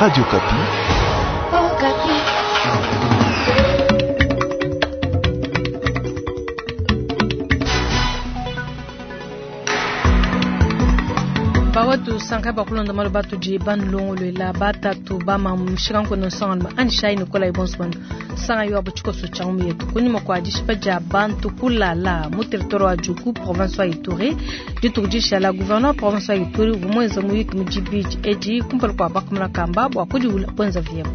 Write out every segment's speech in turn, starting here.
Radio Okapi. Bawetu sanka bakulonda malu batudi banulongoluela batatu bamamushika nkono nsongalume anishai nikolai bonso sanga yo abo tshikoso tshia ngumu yetu kunyima kua dishipa dia bantu kulala mu territoire wa Djugu province wa Ituri dituku dishala gouverneur province wa Ituri uvua muenza muyuki mu dibidi edi kumpala kua bakamuna kamba bua kudiwula buenza vyebo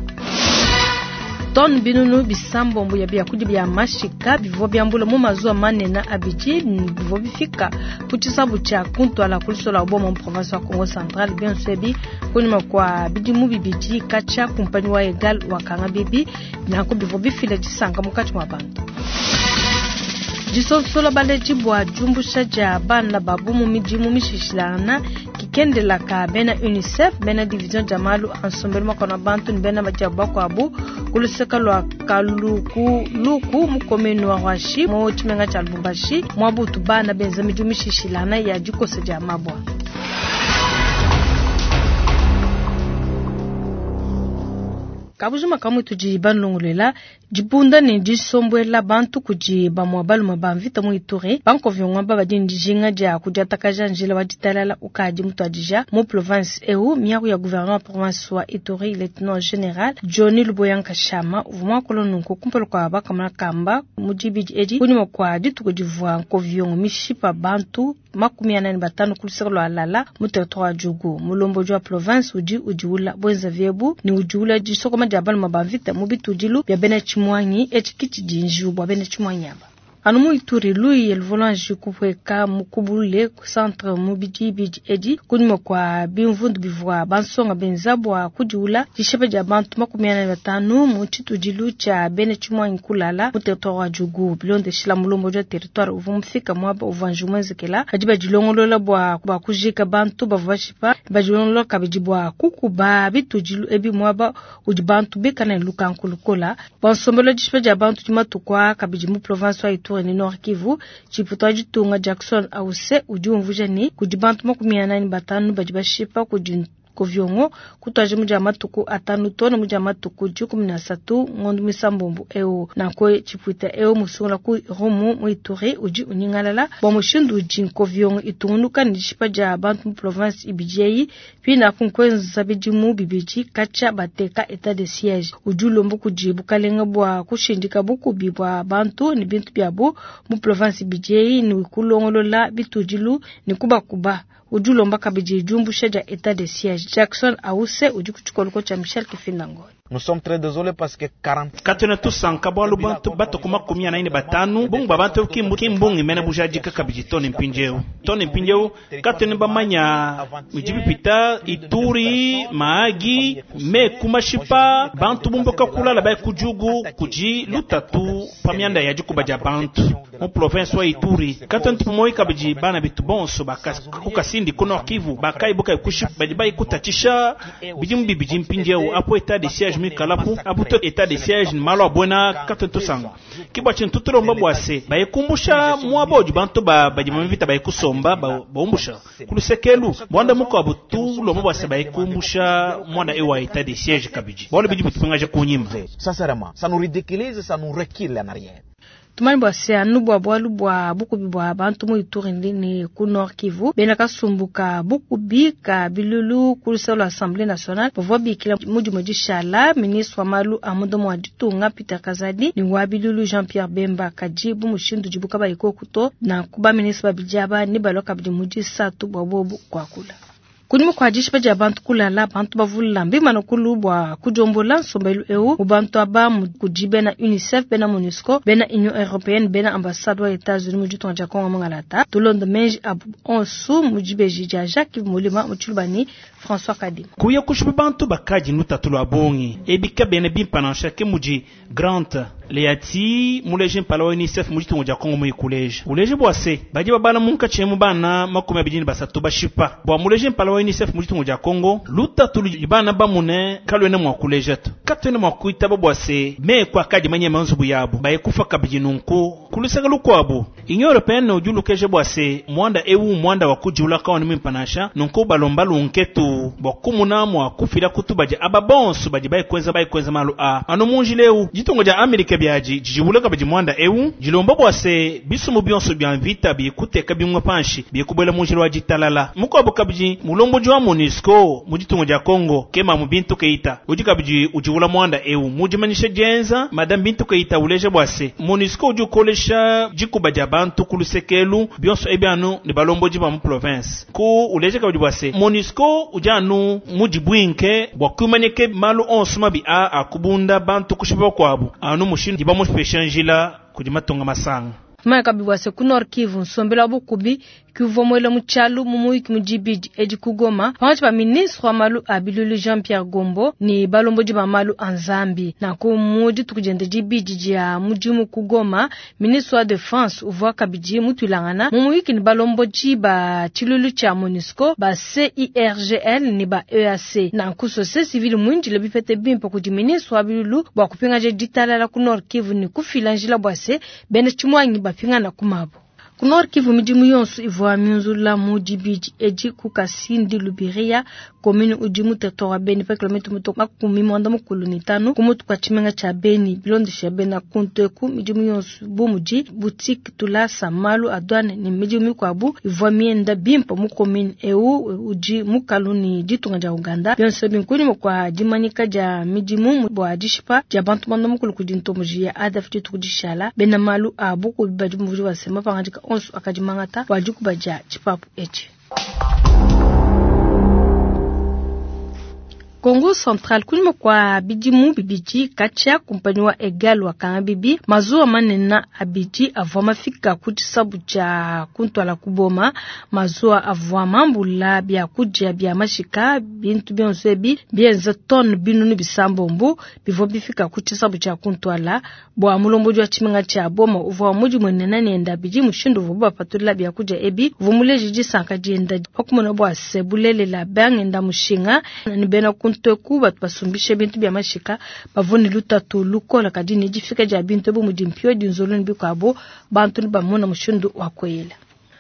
tone binunu bisambombo ya biakudia bia mashika bivua biambula mu mazuwa manene abidi bivua bifika ku tshisabu tshia kuntwala ku lusola lua boma mu province wa Kongo Central. Bionso ebi kunyima kua bidimu bibidi katshia kumpanyi wa Egal wakanga bibi nanku bivua bifila disanka munkatshi mua bantu. Disonsola baledi bua diumbusha dia bana babu mu midimu mishishilangana kikendela ka bena UNICEF bena division dia malu a nsombelu makona bantu ne bena badiabu bakuabu ku luseke lua Kalukuluku mu commune wa Ruashi mu tshimenga tshia Lubumbashi muabutu bana benza midimu mishishilangana ya dikosa dia mabua. Kabujima kamwe tudi banulongoluela dibunda ne disombuela bantu kudi bamue balume ba mvita mu Ituri bankoviongwa badi ne dijinga dia kudiatakaja njila wa ditalala ukadi mutuadija mu province eu. Miaku ya gouverneur wa province wa Ituri lieutenant general Johnny Luboya Nkashama uvua muakula nunku kumpala kua bakamuna kamba mu dibidi edi kunyima kua dituku divua nkoviongo mishipa bantu 45 ku luseke lua Lala mu territoire wa Djugu. Mulombodi wa province udi udiwula bwenza vyebu ne udiwula disokoma dia balume ba mvita mu bitudilu bia bena Tshimwangi etshi kitshidi njiwu bua bena Tshimwangi aba. Anu mu Ituri luiye luvua kupueka mukubulule ku centre mu bidibidi edi kunyima kua bimvundu bivua bansonga benza bua kudiwula dishipa dia bantu 45 mu tshitudilu tshia bena Tshimwangi kulala mu territoire wa Djugu. Bilondeshila mulombodi wa territoire uvua mufika muaba uvua njiwu muenzekela badi badilongolola bua kujika bantu bavua bashipa badilongolola kabidi bua kukuba bitudilu ebi muaba udi bantu bikala ne lukanku lukola bua nsombelu wa dishipa dia bantu dimatukua kabidi mu province wa Ituri ni Nord Kivu. Tshiputu wa ditunga Jackson Ause udi umvuja ne kudi bantu 45 badi bashipa kudi Koviongo kutwaje mu dia matuku 5 tona mu dia matuku 13 ngondo misambombo eu nanko tshipuita eu musungula ku Rumu mu Ituri udi unyingalala bua mushindu udi Nkoviongo itungunuka ne dishipa dia bantu mu province ibidi pina kunkwenza bidimu bibidi katshia bateka etat de siège udi ulomba kudi bukalenga bua kushindika bukubi bua bantu ne bintu biabu mu province ibidi ne kulongolola bitudilu ne kubakuba. Udi ulomba kabidi diumbusha dia etat de siège. Jackson Ause udi ku tshikoloko tshia Michel Kifindango. Nous sommes très désolés parce que 40 katwena tusanka bwalu bantu batuku 45 bungu ba bantu kimbungi mena bujadika kabidi tone mpindieu tone mpindieu katwena bamanya midibipita Ituri Mahagi meku mashipa bantu bumbuka kulala bai kujugu kuji lutatu pamianda ya dikuba dia bantu mu province wa Ituri katwena tupumoi kabidi bana bitu bonso bakukasindi ku Nord Kivu bakaibuka ikushi badi baikutatisha bidimu bibidi mpindieu apo etat de siège mikalapu abuto etat de siège malo abwena katonto sanga kibwa chintu tulomba bwase bayikumbusha mwabo bantu ba badi mvita bayikusomba baumbusha kulusekelu bwanda muko abutu lomba bwase bayikumbusha mwana ewa etat de siège kabidi bwalo bidi butupingaje kunyima. Sincèrement, ça nous ridiculise, ça nous recule en arrière. Tumani bua se anu bua bualu bua bukubi bua bantu mu Ituri ne ku Nord Kivu bena kasumbuka bukubi ka bilulu ku luseke lua Assemblée nationale bavua bikila mudimu dishala ministre wa malu a mudomo wa ditunga Peter Kazadi ne wa bilulu Jean-Pierre Bemba kadi bu mushindu dibuka bayikokuto na kuba ministre babidi aba ne balua kabidi mu disatu bua bobu kuakula. Kunyima kua dishipa dia bantu kulala bantu bavula mbimana kulu bua kudiombola nsombelu eu mu bantu aba kudi bena UNICEF bena MONUSCO bena Union Européenne bena ambassade wa États-Unis mu ditunga dia Kongo Mongalata tulonda menji abu onsu mu dibeji dia Jacques Molima mu Tshilubani François Kadim kuya kushipa bantu bakaji lutatu lua bongi ebika bene bimpa ke mudi Grant Leati muleje mpala wa UNICEF mu ditunga dia Kongo muikuleje uleje bua se badi babala munkatshi mu bana 23 bashipa bua muleje mpala wa UNICEF mu ditunga dia Kongo lutatu bana bamune kalwene mwa kuleja to katwene mwa kuitaba bua se me kwa kadi manye manzubu yabo bayekufa kabidi nunku kulusaka lukwabu Union européenne udi ulukeja bua se muanda eu muanda wa kujiula kawena muimpe nansha, nunku balomba lunketu bua kumuna mua kufila kutu badi aba bonso badi bayi kuenza malu a anu mu njila eu. Ditunga dia Amerika biadi dijiulaka badi muanda eu dilomba bua se bisumu bionso bia mvita bikuteka bimwe panshi bikubwela mu njila wa ditalala. Mukuabu kabidi mulombodi wa MONUSCO mu ditunga dia Congo kema mu Bintu Keita udi kabidi ujiula muanda eu mu dimanyisha dienza Madame Bintu Keita uleja bua se MONUSCO udi ukolesha dikuba dia bantu ku lusekelu bionso ebi anu ne balombodi ba mu province ku uleja kabidi bua se MONUSCO udi anu mu dibwinke bua kumanyike malu onso mabi a akubunda bantu kushipa bakuabu anu mushindu dibamupesha njila kudi matunga masanga. Tumanya kabidi bua se ku Nord Kivu nsombelu wa bukubi kuvua muela mu tshialu mu muyuki mu dibidi edi ku Goma pankatshi pa ministre wa malu a bilulu Jean Pierre Gombo ne balombodi ba malu a Nzambi. Nanku mu dituku diende dibidi dia mudimu ku Goma, ministre wa defense uvua kabidi mutuilangana mu muyuki ne balombodi ba tshilulu tshia MONUSCO ba CIRGL ne ba EAC. Nanku société civile muindile bipete bimpe kudi ministre wa bilulu bua kupingaja ditalala ku Nord Kivu ne kufila njila bua se bena tshimuangi bapingana ku mabo. Ku Nord Kivu midimu yonso ivua miunzula mu dibidi edi ku Kasindi Lubiria, commune udi mu territoire wa Beni pa kilomètre muto 95 ku mutu kwa tshimenga tshia Beni. Bilondesha bena kuntu eku midimu yonso bu mudi boutique, tulasa, malu a douane ne midimu mikuabu ivua mienda bimpe mu commune eu udi mukalu ne ditunga dia Uganda. Bionso ebi nkunyima kua dimanyika dia midimu bua dishipa dia bantu 90 kudi ntomboji ya ADF dituku dishala. Bena malu a bukubi badi muvudi wasema pangadika onso akadi mangata bua dikuba dia tshipapu etshi. Kongo Central kunyima kwa bidimu bibidi katshia kumpanyi wa Egal wa kanga bibi mazuwa manene abidi avua mafika ku tshisabu tshia kuntwala ku Boma. Mazuwa avua mambula biakudia bia mashika, bintu bionso ebi bienza tonne 700 bivua bifika ku tshisabu tshia kuntwala. Bua mulombodi wa tshimenga tshia Boma uvua mudimuenena nenda bidi mushindu uvua bapatula biakudia ebi, uvua muleje disanka dienda pakumona bua se bulelela bangenda mushinga ne bena kunteku batu basumbishe bintu bia mashika bavua ne lutatu lukola, kadi ne difika dia bintu ebu mudi mpio dinzolo ne bikuabu bantu ne bamona mushindu wa kweyela.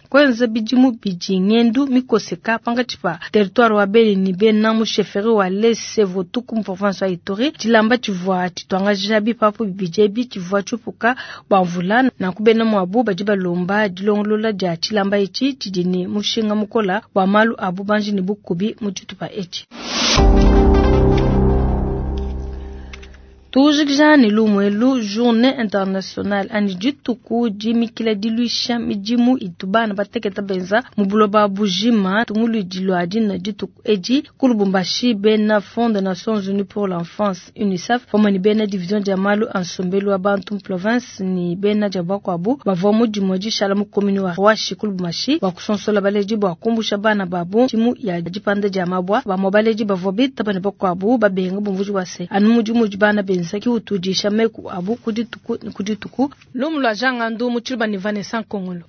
Kwenza bidimu bidi ngendu mikoseka pankatshi pa territoire wa Beni ne bena mu chefferie wa Lese Votuku mu province wa Ituri. Tshilamba tshivua tshituangaja bipapu bibidi ebi tshivua tshiupuka bua mvula, nanku bena muabu badi balomba dilongolola dia tshilamba etshi tshidi ne mushinga mukola bua malu a bubanji ne bukubi mu tshitupa etshi. Tujikija ne lumwelu journée internationale ani dituku dimikila diluisha midimu itu bana bateketa benza mu buloba bujima. Tunguludi lua dina dituku edi ku Lubumbashi, bena Fonds des Nations Unies pour l'enfance UNICEF pamue ne bena division dia malu a nsombelu wa bantu mu province ne bena dia bakuabu bavua mu dimue dishala mu commune wa Ruashi ku Lubumbashi bua kusonsola baledi bua kumbusha bana babu timu ya dipanda dia mabwa. Bamue baledi bavua bitaba ne bakuabu babenga bumvuji bua se anu mudimu udi bana benza ki utudisha meku abu ku dituku ne ku dituku. Lumu lua Jangandu mu Tshiluba ne Vanessa Nkongolo.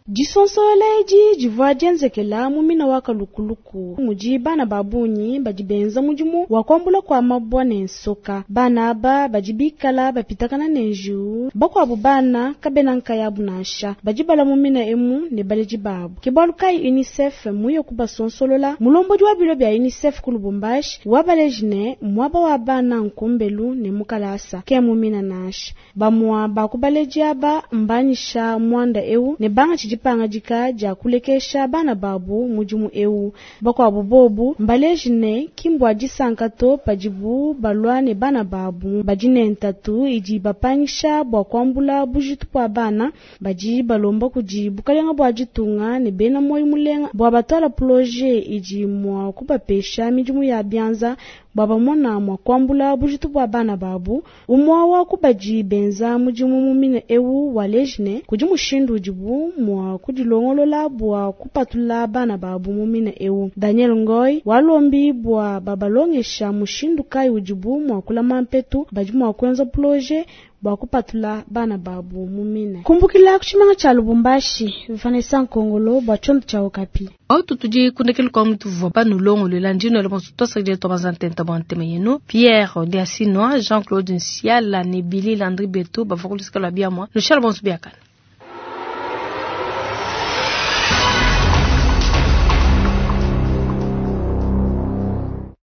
Disonsola edi divua dienzekela mu mina wa kalukuluku mudi bana ba bungi badi benza mudimu wa kuambula kua mabua ne nsoka. Bana aba badi bikala bapitakana ne njiwu, bakuabu bana kabena nkayabu nansha, badi bala mu mina emu ne baledi babu. Ke bualu kayi UNICEF muye kubasonsolola. Mulombodi wa bilo bia UNICEF ku Lubumbashi wabaleji ne muaba wa bana nkumbelu ne mukalasa ke mu mina nansha. Bamua bakubaledi aba mbanyisha muanda eu ne banga tshidi dipangadika dia kulekesha bana babu mudimu eu. Bakuabu bobu mbaleji ne kimbua disanka to padibu balua ne bana babu badi ne ntatu idi bapangisha bua kuambula bujitu bua bana. Badi balomba kudi bukalenga bua ditunga ne bena moyo mulenga bua batwala projet idi mua kubapesha midimu ya bianza bua bamona mua kuambula bujitu bua bana babu. Umua wa kubadi benza mudimu mu mine eu waleji ne kudi mushindu udibu mua kudilongolola bua kupatula bana babu mu mine eu. Daniel Ngoy walombi bua babalongesha mushindu kayi udibu mua kulama mpetu, badi mua kuenza projet bua kupatula bana babu mu mine. Kumbukila ku tshimanga tshia Lubumbashi, Vanessa Nkongolo bua tshiondo tshia Okapi. Autu tudi kundekelu kwa mutu vua banulongolola ndino le bonso tosakile tobanza ntenta bua ntema yenu Pierre Diasinois, Jean-Claude Nsiala ne Billy Landry Beto bavua kulusika lua biamua. Nushala bonso biakana.